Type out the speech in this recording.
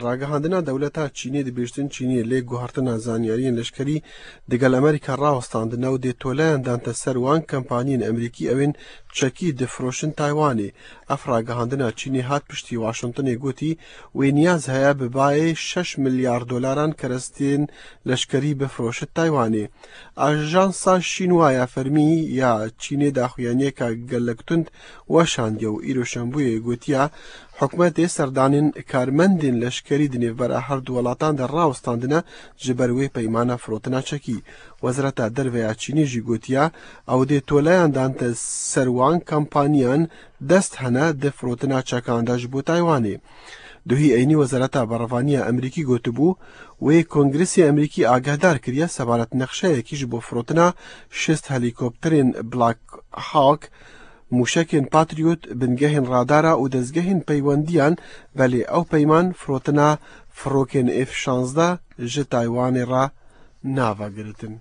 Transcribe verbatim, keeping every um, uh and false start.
Ragihandina dewleta Çînê dibêjin Çînê lê guhertina zanyariyên leşkerî digel Amerîka rawestandine û dê toleyan dante ser wan kampaniyên Amerîkî ew ên çekî difiroşin Taywanê. Ev ragihandina Çînê hat piştî Washingtonê gotî wê niyaz heye bi bayê şeş milyar dolaran kerestên leşkerî bifiroşe Taywanê. Ajansa Xinhua ya fermî ya Çînê daxuyaniyeke gelek tund weşandiye û îro şembûyê gotiye hikûmetê serdanên karmendên leşkerî di nêvbera her du welatan de rawestandine ji ber wê peymana firotina çekî. Wezareta Derve ya Çînê jî gotiye ew dê toleyan dante ser wan kampaniyan dest hene di firotina çekan de ji bo Taywanê. Duhî eynî Wezareta Berevaniya Amerîkî gotibû wê Kongresê Amerîkî agahdar kiriye sebaret nexşeyekî ji bo firotina şêst helîkopterên Black Hawk mûşekên Patriot, bingehên radara û dezgehên peywendiyan belê ew peyman firotina firokên F şazdeh ji Taywanê re navegirtin.